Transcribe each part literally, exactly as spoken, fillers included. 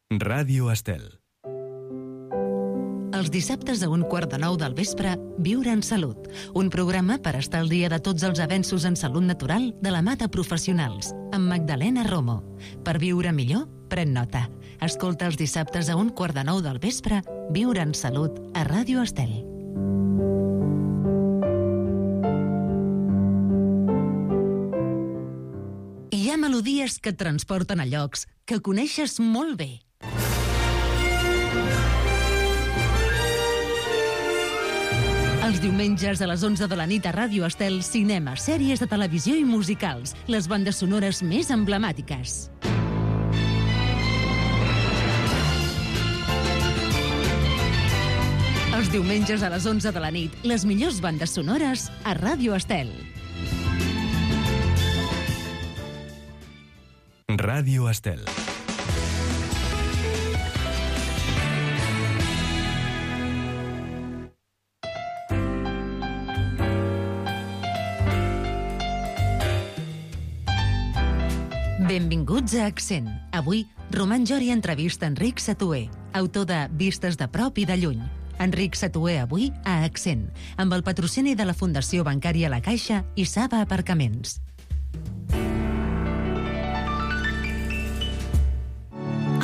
Ràdio Estel. Els dissabtes a un quart de nou del vespre, Viure en Salut, un programa per estar al dia de tots els avenços en salut natural de la mà de professionals, amb Magdalena Romo. Per viure millor, pren nota. Escolta els dissabtes a un quart de nou del vespre, Viure en Salut, a Ràdio Estel. Hi ha melodies que et transporten a llocs que coneixes molt bé. Els diumenges a les onze de la nit a Ràdio Estel, cinema, sèries de televisió i musicals, les bandes sonores més emblemàtiques. Els diumenges a les onze de la nit, les millors bandes sonores a Ràdio Estel. Ràdio Estel. Benvinguts a Accent. Avui, Roman Jori entrevista Enric Satué, autor de Vistes de prop i de lluny. Enric Satué avui a Accent, amb el patrocini de la Fundació Bancària La Caixa i Saba Aparcaments.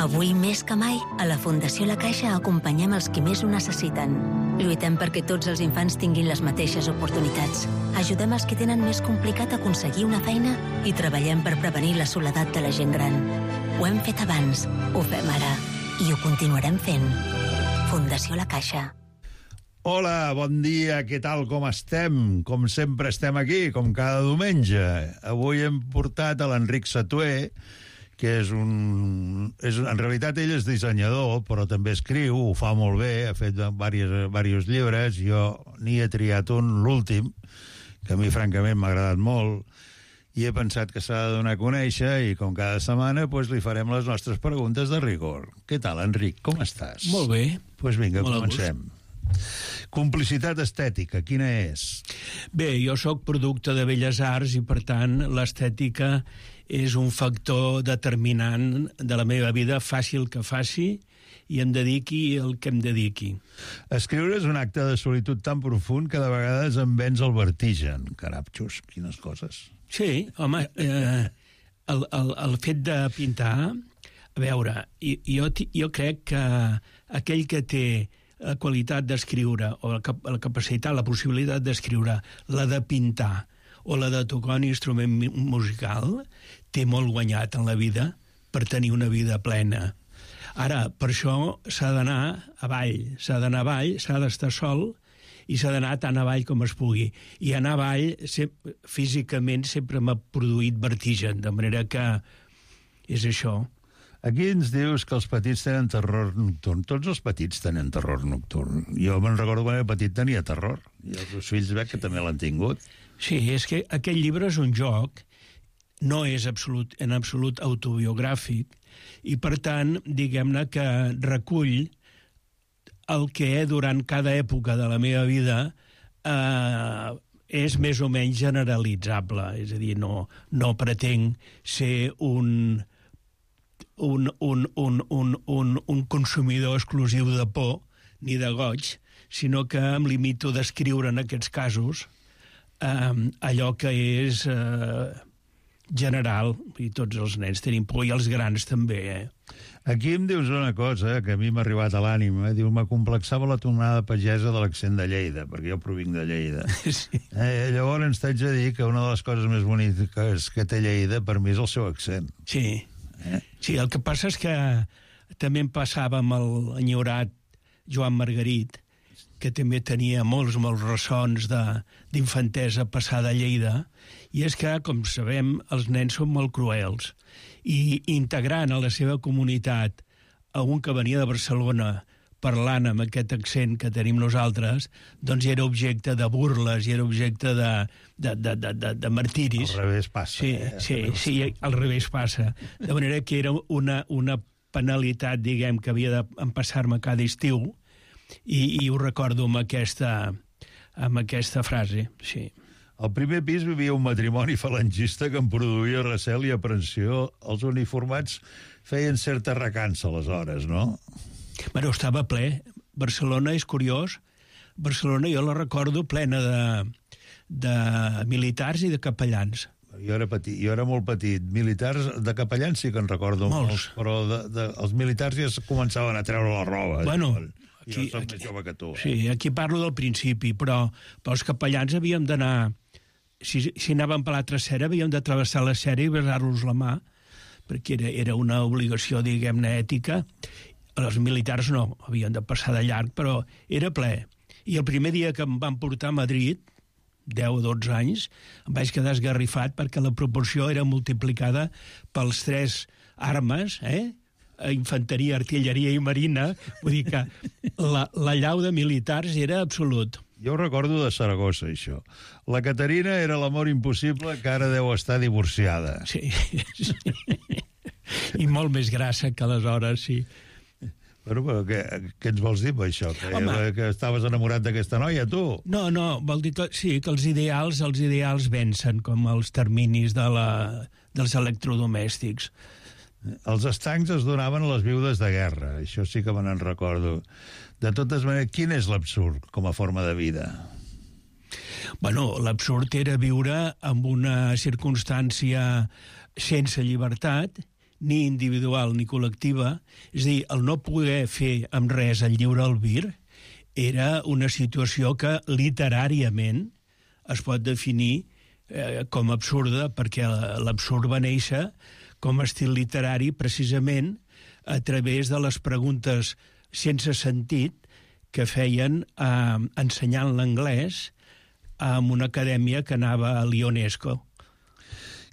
Avui més que mai, a la Fundació La Caixa acompanyem els qui més ho necessiten. Lluitem perquè tots els infants tinguin les mateixes oportunitats. Ajudem els que tenen més complicat aconseguir una feina i treballem per prevenir la soledat de la gent gran. Ho hem fet abans, ho fem ara i ho continuarem fent. Fundació La Caixa. Hola, bon dia, què tal, com estem? Com sempre estem aquí, com cada diumenge. Avui hem portat a l'Enric Satué, que és un... És, en realitat ell és dissenyador, però també escriu, ho fa molt bé, ha fet diversos, diversos llibres, jo n'hi he triat un, l'últim, que a mi francament m'ha agradat molt, i he pensat que s'ha de donar a conèixer, i com cada setmana doncs, li farem les nostres preguntes de rigor. Què tal, Enric, com estàs? Molt bé. Doncs pues vinga, molt comencem. Complicitat estètica, quina és? Bé, jo sóc producte de Belles Arts i, per tant, l'estètica és un factor determinant de la meva vida, fàcil que faci, i em dediqui el que em dediqui. Escriure és un acte de solitud tan profund que de vegades em vens el vertigen. Carapxos, quines coses. Sí, home, eh, el, el, el fet de pintar, a veure, jo, jo crec que aquell que té la qualitat d'escriure, o la, cap, la capacitat, la possibilitat d'escriure, la de pintar, o la de tocar un instrument musical, té molt guanyat en la vida per tenir una vida plena. Ara, per això s'ha d'anar avall, s'ha d'anar avall, s'ha d'estar sol i s'ha d'anar tan avall com es pugui. I anar avall, sempre, físicament, sempre m'ha produït vertigen, de manera que és això. Aquí ens dius que els petits tenen terror nocturn. Tots els petits tenen terror nocturn. Jo me'n recordo quan era petit tenia terror. I els meus fills veig que també l'han tingut. Sí, és que aquest llibre és un joc, no és absolut, en absolut autobiogràfic, i per tant, diguem-ne que recull el que durant cada època de la meva vida eh, és més o menys generalitzable. És a dir, no, no pretenc ser un... Un, un, un, un, un, un consumidor exclusiu de por ni de goig, sinó que em limito a descriure en aquests casos eh, allò que és eh, general, i tots els nens tenim por, i els grans també. Eh? Aquí em dius una cosa que a mi m'ha arribat a l'ànima, diu, m'acomplexava la tonada pagesa de l'accent de Lleida, perquè jo provinc de Lleida. Sí. Eh, llavors t'haig de dir que una de les coses més boniques que té Lleida per mi és el seu accent. Sí. Eh? Sí, el que passa és que també em passava amb l'enyorat Joan Margarit, que també tenia molts, molts ressons d'infantesa passada a Lleida, i és que, com sabem, els nens són molt cruels, i integrant a la seva comunitat a un que venia de Barcelona parlant amb aquest accent que tenim nosaltres, doncs era objecte de burles i era objecte de, de, de, de, de, de martiris. Al revés passa. Sí, eh? sí, sí, al revés passa. De manera que era una, una penalitat, diguem, que havia d'empassar-me cada estiu, i, i ho recordo amb aquesta, amb aquesta frase, sí. Al primer pis vivia un matrimoni falangista que em produïa recel i aprensió. Els uniformats feien certa recança, aleshores, no? Bueno, estava ple. Barcelona és curiós. Barcelona jo la recordo plena de, de militars i de capellans. Jo era petit, jo era molt petit. Militars, de capellans sí que en recordo molts, molts però de, de, els militars ja començaven a treure la roba. Bueno, aquí, jo soc més jove que tu. Eh? Sí, aquí parlo del principi, però, però els capellans havíem d'anar... Si, si anàvem per l'altra cera, havíem de travessar la cera i besar-los la mà, perquè era, era una obligació, diguem-ne, ètica. Els militars no, havien de passar de llarg, però era ple. I el primer dia que em van portar a Madrid, deu o dotze anys, em vaig quedar esgarrifat perquè la proporció era multiplicada pels tres armes, eh? Infanteria, artilleria i marina. Vull dir que la, la llau de militars era absolut. Jo ho recordo de Saragossa, això. La Caterina era l'amor impossible, que ara deu estar divorciada. Sí, sí. I molt més grassa que aleshores, sí. Però, però què, què ens vols dir per això? Que, Home, que estaves enamorat d'aquesta noia, tu? No, no, vol dir que sí, que els ideals, els ideals vencen, com els terminis de la, dels electrodomèstics. Els estancs es donaven a les viudes de guerra, això sí que me n'en recordo. De totes maneres, quin és l'absurd com a forma de vida? Bueno, l'absurd era viure amb una circumstància sense llibertat, ni individual ni col·lectiva, és a dir, el no poder fer amb res el lliure albir era una situació que literàriament es pot definir eh, com absurda, perquè l'absurd va néixer com a estil literari precisament a través de les preguntes sense sentit que feien eh, ensenyant l'anglès en una acadèmia que anava a l'UNESCO.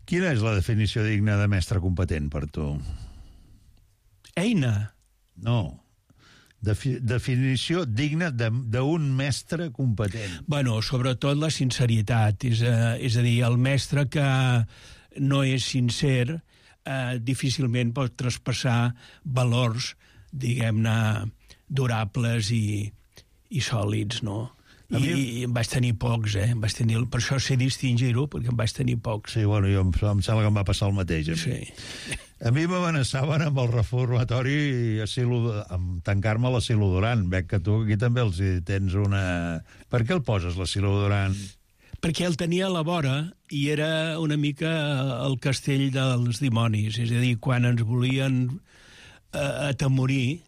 Quina és la definició digna de mestre competent per tu? Eina. No. Defi definició digna d'un mestre competent. Bueno, sobretot la sinceritat. És a, és a dir, el mestre que no és sincer eh, difícilment pot traspassar valors, diguem-ne, durables i, i sòlids, no? I, mi... I em vaig tenir pocs, eh? Em vaig tenir... Per això sé distingir-ho, perquè em vaig tenir pocs. Sí, bueno, jo em, em sembla que em va passar el mateix. A mi, sí. A mi m'amenaçaven amb el reformatori asilo, amb tancar-me a l'asilo Duran. Veig que tu aquí també els tens una... Per què el poses, l'asilo Duran? Perquè el tenia a la vora i era una mica el castell dels dimonis. És a dir, quan ens volien eh, atemorir,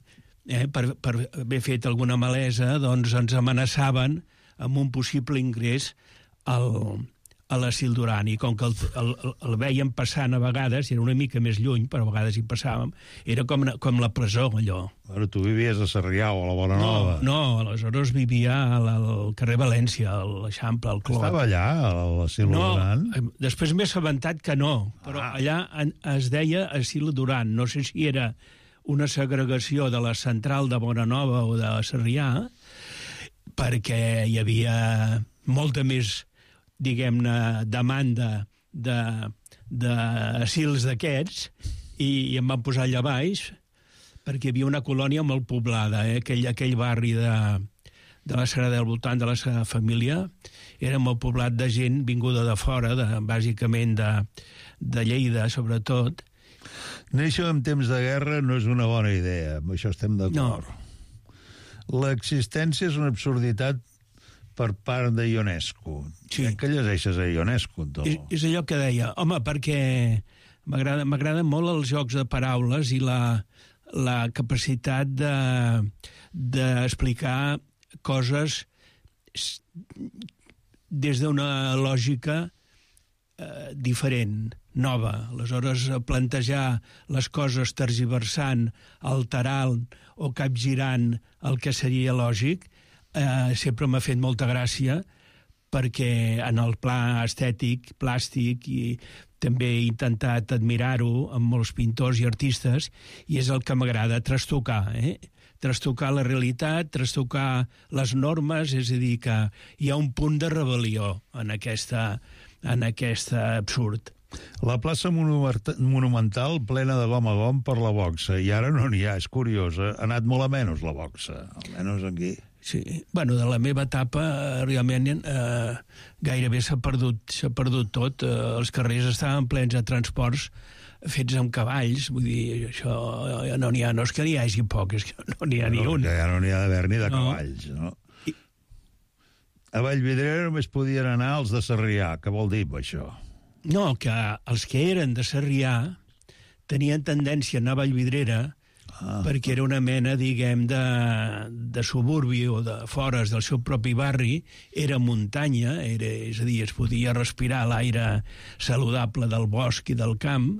eh, per, per haver fet alguna malesa, doncs ens amenaçaven amb un possible ingrés al, a l'asil Duran. I com que el, el, el veiem passant a vegades, era una mica més lluny, però a vegades hi passàvem, era com, com la presó, allò. Però tu vivies a Sarrià o a la Bona Nova. No, no, aleshores vivia al, al carrer València, a l'Eixample, al Clot. Estava allà, a l'asil no, Duran? No, després m'he assabentat que no, però ah. allà es deia asil Duran. No sé si era una segregació de la central de Bona Nova o de Sarrià, perquè hi havia molta més, diguem-ne, demanda d'asils d'aquests, i, i em van posar allà baix, perquè hi havia una colònia molt poblada, eh? aquell, aquell barri de, de la Sagrada del voltant de la seva família, era molt poblat de gent vinguda de fora, de, bàsicament de, de Lleida, sobretot. Néixer en temps de guerra no és una bona idea, amb això estem d'acord. No. L'existència és una absurditat per part de Ionesco. Sí. Que llegeixes a Ionesco, tu? És, és allò que deia. Home, perquè m'agraden molt els jocs de paraules i la, la capacitat de d'explicar coses des d'una lògica eh, diferent, nova. Aleshores, plantejar les coses tergiversant, alterant o capgirant el que seria lògic, eh, sempre m'ha fet molta gràcia, perquè en el pla estètic, plàstic, i també he intentat admirar-ho amb molts pintors i artistes, i és el que m'agrada, trastocar, eh? Trastocar la realitat, trastocar les normes, és a dir, que hi ha un punt de rebel·lió en aquesta, en aquest absurd. La plaça monumental plena de gom a gom per la boxa, i ara no n'hi ha, és curiós, ha anat molt a menys la boxa, almenys aquí. Sí, bueno, de la meva etapa realment eh, gairebé s'ha perdut, s'ha perdut tot, eh, els carrers estaven plens de transports fets amb cavalls, vull dir, això no n'hi ha, no és que n'hi hagi poc, és que no n'hi ha no, ni un. Ja no n'hi ha d'haver ni de no. cavalls, no? I... A Vallvidrera només podien anar els de Sarrià. Què vol dir això? No, que els que eren de Sarrià tenien tendència a anar a Vallvidrera ah. perquè era una mena, diguem, de, de suburbi o de fores del seu propi barri, era muntanya, era, és a dir, es podia respirar l'aire saludable del bosc i del camp,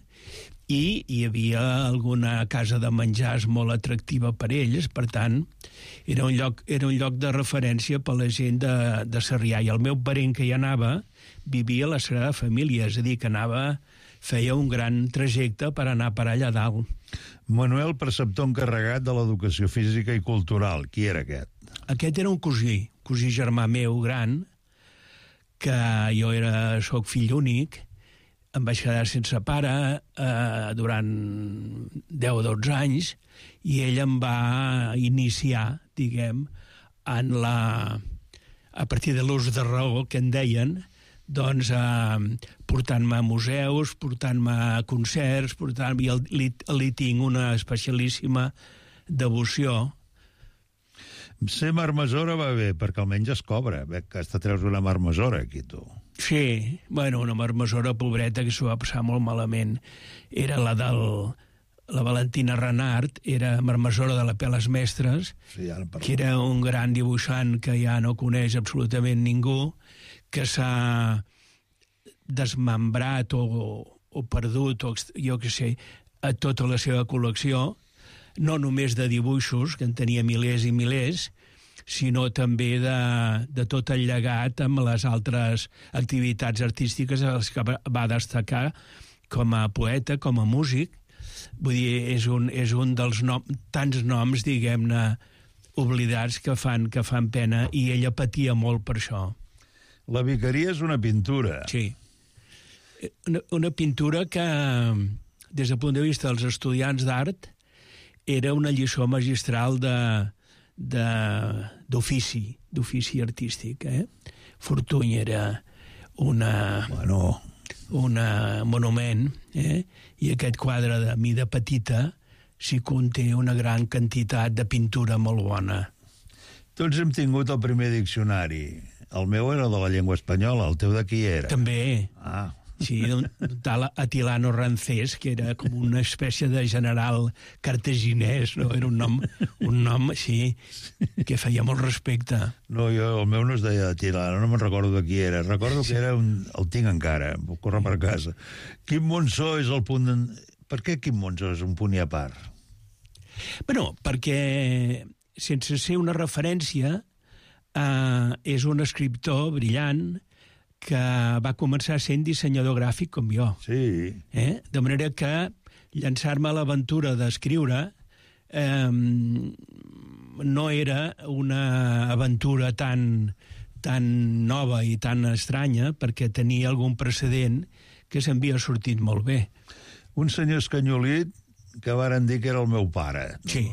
i hi havia alguna casa de menjars molt atractiva per ells, per tant, era un lloc, era un lloc de referència per la gent de, de Sarrià, i el meu parent que hi anava vivia a la Sagrada Família, és a dir, que anava, feia un gran trajecte per anar per allà dalt. Manuel, preceptor encarregat de l'educació física i cultural. Qui era aquest? Aquest era un cosí, cosí germà meu gran, que jo era, soc fill únic, em vaig quedar sense pare eh, durant deu o dotze anys, i ell em va iniciar, diguem, en la, a partir de l'ús de raó, que en deien, doncs eh, portant-me a museus, portant-me a concerts, portant-me... I li, li tinc una especialíssima devoció. Ser marmessora va bé, perquè almenys es cobra. Bé, que hasta treus una marmessora, aquí, tu. Sí, bueno, una marmessora pobreta que s'ho va passar molt malament. Era la del... La Valentina Renart, era marmessora de la Peles Mestres, sí, ja que era un gran dibuixant que ja no coneix absolutament ningú, que s'ha desmembrat o, o perdut, o jo què sé, a tota la seva col·lecció, no només de dibuixos, que en tenia milers i milers, sinó també de, de tot el llegat amb les altres activitats artístiques a les que va destacar com a poeta, com a músic. Vull dir, és un, és un dels nom, tants noms, diguem-ne, oblidats que fan, que fan pena, i ella patia molt per això. La Vicaria és una pintura. Sí. Una, una pintura que, des del punt de vista dels estudiants d'art, era una lliçó magistral de, de, d'ofici, d'ofici artístic. Eh? Fortuny era una... Bueno... una monument, eh? I aquest quadre de mida petita s'hi conté una gran quantitat de pintura molt bona. Tots hem tingut el primer diccionari. El meu era de la llengua espanyola, el teu de qui era? També. Ah. Sí, un tal Atilano Rancés, que era com una espècie de general cartaginès, no? Era un nom, un nom, sí, que feia molt respecte. No, jo, el meu no es deia Atilano, no me'n recordo de qui era. Recordo que era un... El tinc encara, em puc córrer per casa. Quim Monzó és el punt... En... Per què Quim Monzó és un punt i a part? Bueno, perquè, sense ser una referència, eh, és un escriptor brillant, que va començar sent dissenyador gràfic com jo. Sí. Eh? De manera que llançar-me a l'aventura d'escriure eh, no era una aventura tan, tan nova i tan estranya, perquè tenia algun precedent que s'havia sortit molt bé. Un senyor escanyolit que varen dir que era el meu pare. Sí.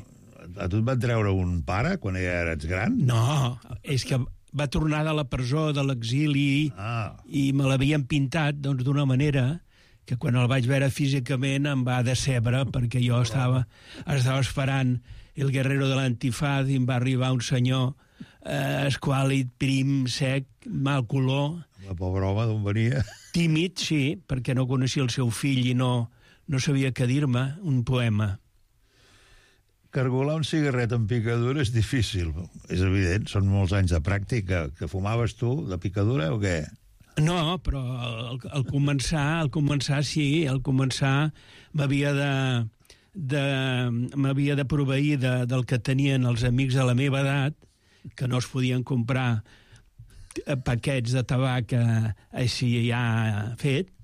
A tu et van treure un pare quan ja eres gran? No, és que va tornar de la presó, de l'exili, ah. i me l'havien pintat doncs, d'una manera que quan el vaig veure físicament em va decebre, perquè jo estava, estava esperant el guerrero de l'antifaz i em va arribar un senyor eh, esquàlid, prim, sec, mal color. La pobra home d'on venia? Tímid, sí, perquè no coneixia el seu fill i no, no sabia què dir-me, un poema. Cargolar un cigarret amb picadura és difícil, és evident, són molts anys de pràctica. Que fumaves tu, de picadura, o què? No, però al, al començar, al començar sí, al començar m'havia de, de, m'havia de proveir de, del que tenien els amics de la meva edat, que no es podien comprar paquets de tabac així ja fet,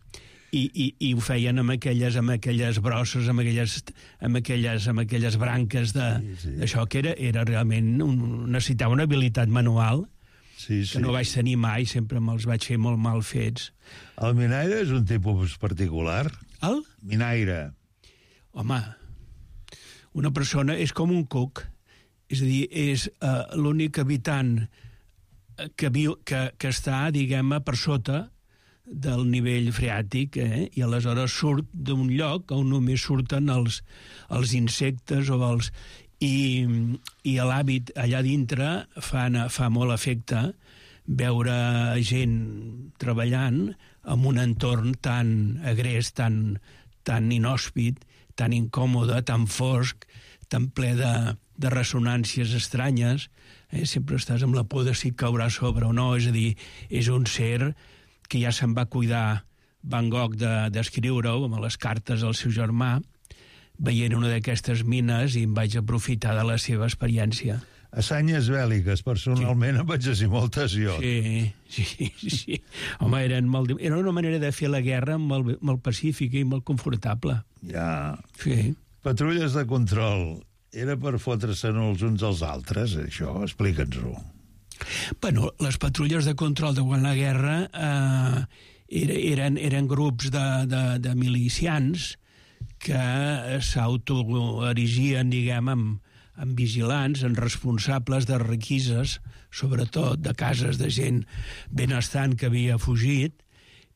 I, i, i ho feien amb aquelles, amb aquelles brosses, amb aquelles, amb aquelles, amb aquelles branques de, sí, sí. d'això, que era, era realment... Un, necessitava una habilitat manual sí, sí. que no vaig tenir mai, sempre me'ls vaig fer molt mal fets. El minaire és un tipus particular? El? Minaire. Home, una persona és com un cuc, és a dir, és uh, l'únic habitant que, viu, que, que està, diguem-ne, per sota del nivell freàtic, eh? I aleshores surt d'un lloc on només surten els, els insectes o els... I, i l'hàbit allà dintre fa, fa molt efecte veure gent treballant en un entorn tan agrés, tan, tan inhòspit, tan incòmode, tan fosc, tan ple de, de ressonàncies estranyes. Eh? Sempre estàs amb la por de si caurà sobre o no, és a dir, és un ser que ja se'n va cuidar Van Gogh d'escriure-ho amb les cartes al seu germà, veient una d'aquestes mines, i em vaig aprofitar de la seva experiència. Assanyes bèl·liques, personalment, sí. Em vaig dir moltes jo. Sí, sí, sí. Home, eren molt... era una manera de fer la guerra molt, molt pacífica i molt confortable. Ja. Sí. Patrulles de control. Era per fotre-se'n els uns als altres, això? Explica'ns-ho. Bueno, les patrulles de control durant la guerra eh, eren, eren grups de, de, de milicians que s'autoerigien, diguem, amb, amb vigilants, en responsables de requises, sobretot de cases de gent benestant que havia fugit,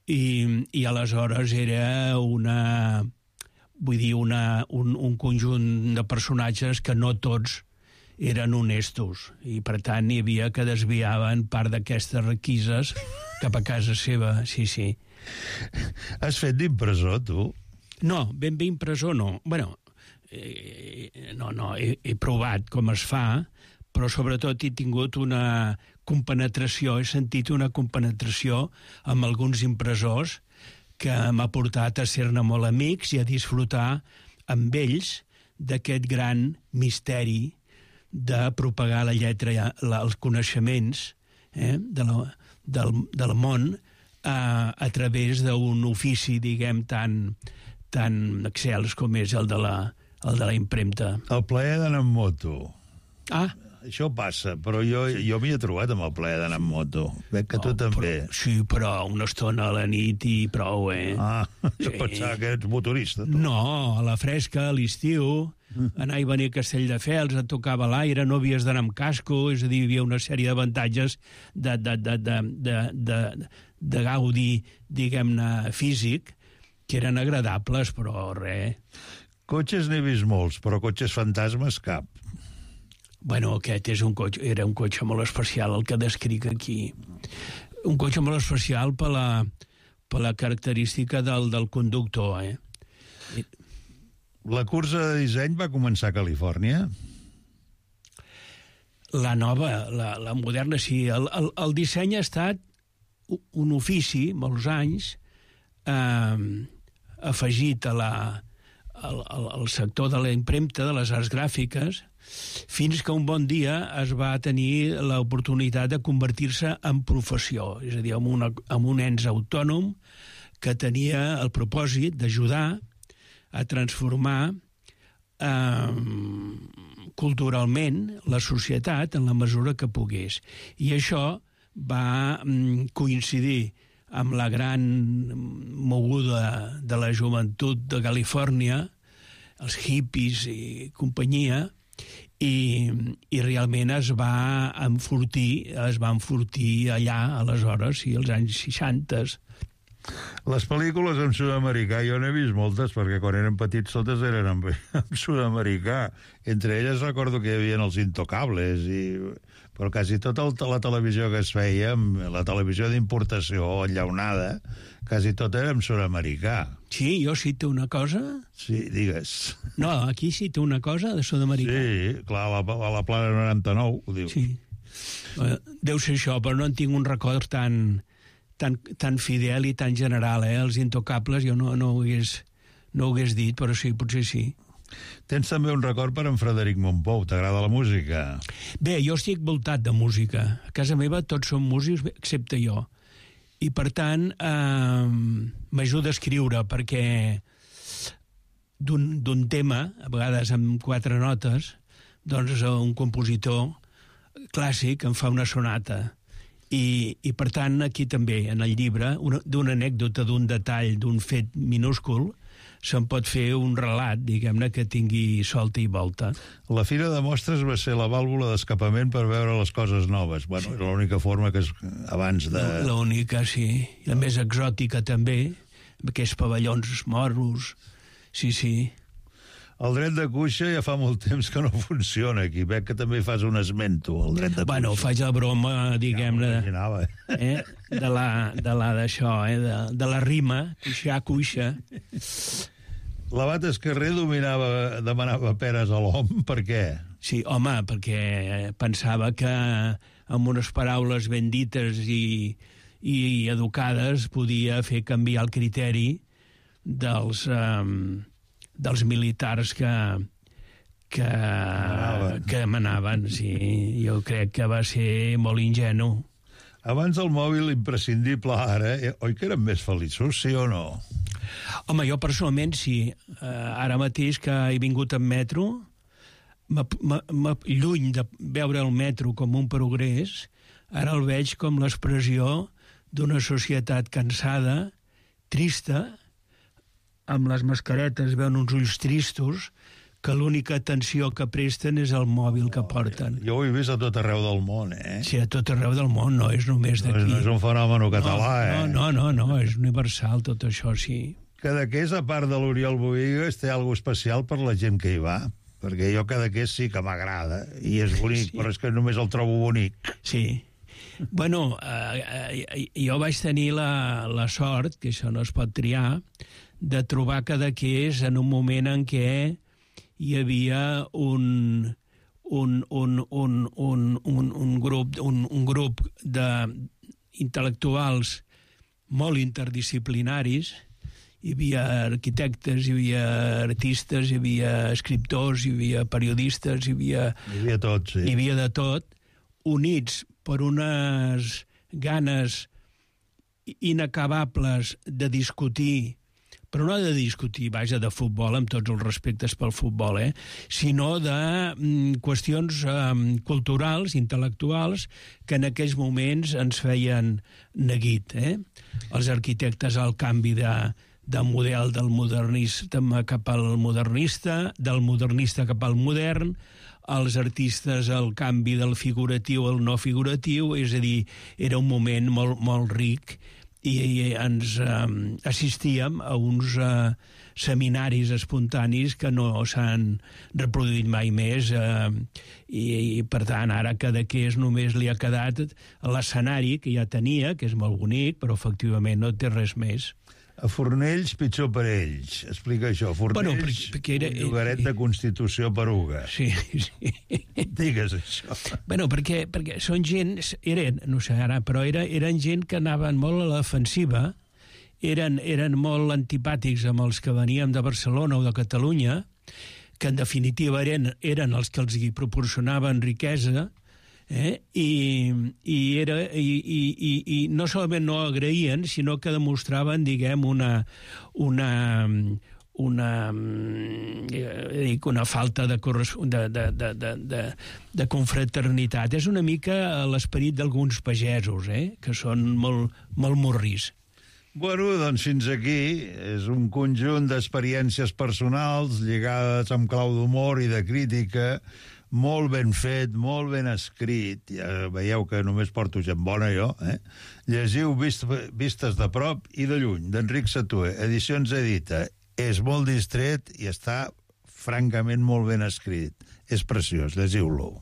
i, i aleshores era una, vull dir, una, un, un conjunt de personatges que no tots eren honestos, i per tant hi havia que desviaven part d'aquestes requises cap a casa seva, sí, sí. Has fet d'impressor, tu? No, ben bé impressor no. Bueno, eh, no, no, he, he provat com es fa, però sobretot he tingut una compenetració, he sentit una compenetració amb alguns impressors que m'ha portat a ser-ne molt amics i a disfrutar amb ells d'aquest gran misteri de propagar la lletra, la, els coneixements eh, de la, del, del món a, a través d'un ofici, diguem, tan, tan excels com és el de la, el de la impremta. El plaer d'anar amb moto. Ah. Això passa, però jo, jo m'hi he trobat amb el plaer d'anar amb moto. Veig que tu no, també. Però, sí, però una estona a la nit i prou, eh? Ah, jo sí. pensava que ets motorista. Tu. No, a la fresca, a l'estiu, mm. anar i venir a Castelldefels, et tocava l'aire, no havies d'anar amb casco, és a dir, hi havia una sèrie d'avantatges de, de, de, de, de, de, de gaudi, diguem-ne, físic, que eren agradables, però res. Cotxes n'he vist molts, però cotxes fantasmes cap. Bueno, aquest és un cotxe, era un cotxe molt especial, el que descric aquí. Un cotxe molt especial per la, per la característica del, del conductor, eh? La cursa de disseny va començar a Califòrnia? La nova, la, la moderna, sí. El, el, el disseny ha estat un ofici, molts anys, eh, afegit a la, al, al sector de la impremta, de les arts gràfiques, fins que un bon dia es va tenir l'oportunitat de convertir-se en professió, és a dir, en, una, en un ens autònom que tenia el propòsit d'ajudar a transformar eh, culturalment la societat en la mesura que pogués. I això va mm, coincidir amb la gran moguda de la joventut de Califòrnia, els hippies i companyia, i, i realment es va enfortir, es va enfortir allà, aleshores, i als anys seixanta. Les pel·lícules en sud-americà jo n'he vist moltes, perquè quan eren petits totes eren en, en sud-americà. Entre elles recordo que hi havia els Intocables, i, però quasi tota la televisió que es feia, la televisió d'importació enllaunada, quasi tot era en sud-americà. Sí, jo cito una cosa... Sí, digues. No, aquí cito una cosa de sud-americà. Sí, clar, a la, a la Plana noranta-nou, ho diu. Sí. Deu ser això, però no en tinc un record tan... Tan, tan fidel i tan general, eh? Els Intocables jo no, no, ho hagués, no ho hagués dit, però sí, potser sí. Tens també un record per en Frederic Mompou. T'agrada la música? Bé, jo estic voltat de música. A casa meva tots són músics, excepte jo. I, per tant, eh, m'ajuda a escriure, perquè d'un tema, a vegades amb quatre notes, doncs un compositor clàssic em fa una sonata. I, i per tant, aquí també, en el llibre, d'una anècdota, d'un detall, d'un fet minúscul, se'n pot fer un relat, diguem-ne, que tingui solta i volta. La Fira de Mostres va ser la vàlvula d'escapament per veure les coses noves. Bueno, era l'única forma que es, abans de... L'única, sí. La més exòtica també, amb aquests pavellons moros. Sí, sí. El dret de cuixa ja fa molt temps que no funciona aquí. Veig que també fas un esmento, el dret de cuixa. Bueno, faig la broma, diguem-ne, ja eh? de la de la d'això, eh? de, de la rima, cuixar, cuixa. L'Abat Escarrer dominava, demanava peres a l'hom, per què? Sí, home, perquè pensava que amb unes paraules ben dites i, i educades podia fer canviar el criteri dels... Um, dels militars que, que, manaven. que manaven, sí. Jo crec que va ser molt ingenu. Abans el mòbil imprescindible ara, eh? Oi que eren més feliços, sí o no? Home, jo personalment sí. Uh, ara mateix que he vingut en metro, m m m lluny de veure el metro com un progrés, ara el veig com l'expressió d'una societat cansada, trista, amb les mascaretes veuen uns ulls tristos, que l'única atenció que presten és el mòbil que porten. Jo ho he vist a tot arreu del món, eh? Sí, a tot arreu del món, no és només d'aquí. No, no és un fenomen català, no, eh? No, no, no, no, és universal tot això, sí. Cadaqués, a part de l'Oriol Bohigas, té alguna especial per la gent que hi va, perquè jo Cadaqués sí que m'agrada, i és bonic, sí. Però és que només el trobo bonic. Sí. Bueno, eh, eh, jo vaig tenir la, la sort, que això no es pot triar, de trobar Cadaqués en un moment en què hi havia un, un, un, un, un, un, un grup, un, un grup d'intel·lectuals molt interdisciplinaris. Hi havia arquitectes, hi havia artistes, hi havia escriptors, hi havia periodistes, hi havia... Hi havia tot, sí. Hi havia de tot, units per unes ganes inacabables de discutir, però no de discutir, vaja, de futbol, amb tots els respectes pel futbol, eh? sinó de mm, qüestions um, culturals, intel·lectuals, que en aquells moments ens feien neguit. Eh? Els arquitectes al canvi de, de model del modernista cap al modernista, del modernista cap al modern, els artistes al canvi del figuratiu al no figuratiu, és a dir, era un moment molt, molt ric, i ens eh, assistíem a uns eh, seminaris espontanis que no s'han reproduït mai més eh, i, i per tant ara Cadaqués només li ha quedat l'escenari que ja tenia, que és molt bonic, però efectivament no té res més. A Fornells, pitjor per ells. Explica això. Fornells, bueno, perquè, perquè era, un llogaret de Constitució Peruga. Sí, sí. Digues això. Bueno, perquè, perquè són gent, eren, no sé ara, però era, eren gent que anaven molt a l'ofensiva, eren, eren molt antipàtics amb els que veníem de Barcelona o de Catalunya, que en definitiva eren, eren els que els hi proporcionaven riquesa, Eh? I, i, era, i, i, i, i no solament no agraïen, sinó que demostraven, diguem, una, una, una, una falta de, de, de, de, de, de confraternitat. És una mica l'esperit d'alguns pagesos, eh? Que són molt, molt morris. Bueno, doncs fins aquí és un conjunt d'experiències personals lligades amb clau d'humor i de crítica, molt ben fet, molt ben escrit. Ja veieu que només porto gent bona, jo. Eh? Llegiu vist, Vistes de prop i de lluny, d'Enric Satué, Edicions Edita. És molt distret i està francament molt ben escrit. És preciós, llegiu-lo.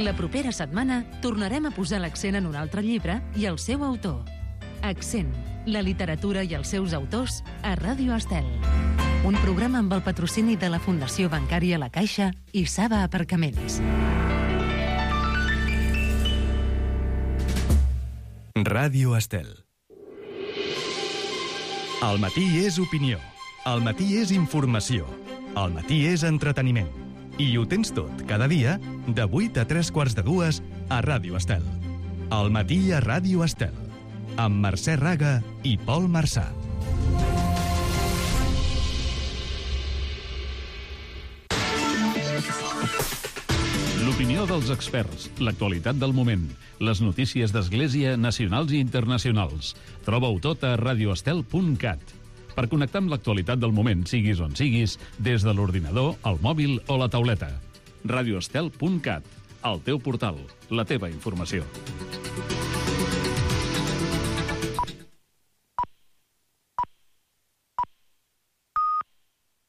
La propera setmana tornarem a posar l'accent en un altre llibre i el seu autor. Accent, la literatura i els seus autors a Ràdio Estel. Un programa amb el patrocini de la Fundació Bancària La Caixa i Saba Aparcaments. Ràdio Estel. El matí és opinió. El matí és informació. El matí és entreteniment. I ho tens tot, cada dia, de vuit a tres quarts de dues, a Ràdio Estel. El matí a Ràdio Estel, amb Mercè Raga i Pol Marçà. L'opinió L'opinió dels experts, l'actualitat del moment, les notícies d'Església nacionals i internacionals. Troba-ho tot a radio estel punt cat. Per connectar amb l'actualitat del moment, siguis on siguis, des de l'ordinador, el mòbil o la tauleta. radio estel punt cat, el teu portal, la teva informació.